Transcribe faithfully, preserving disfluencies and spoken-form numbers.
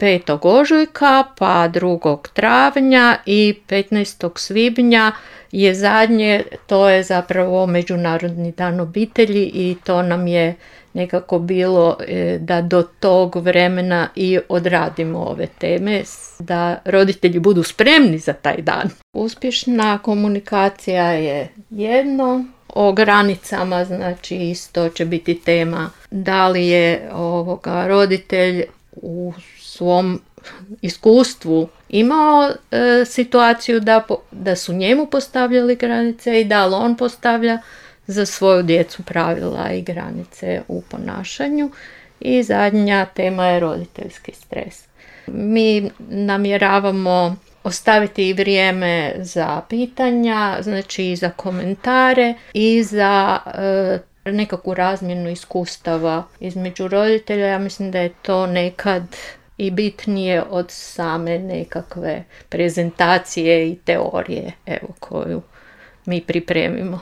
petog ožujka, pa drugog travnja i petnaestog svibnja je zadnje, to je zapravo Međunarodni dan obitelji i to nam je nekako bilo da do tog vremena i odradimo ove teme, da roditelji budu spremni za taj dan. Uspješna komunikacija je jedno, o granicama, znači isto će biti tema da li je ovoga roditelj u svom iskustvu imao e, situaciju da, da su njemu postavljali granice i da li on postavlja za svoju djecu pravila i granice u ponašanju. I zadnja tema je roditeljski stres. Mi namjeravamo ostaviti i vrijeme za pitanja, znači i za komentare i za e, nekakvu razmjenu iskustava između roditelja. Ja mislim da je to nekad i bitnije od same nekakve prezentacije i teorije, evo, koju mi pripremimo.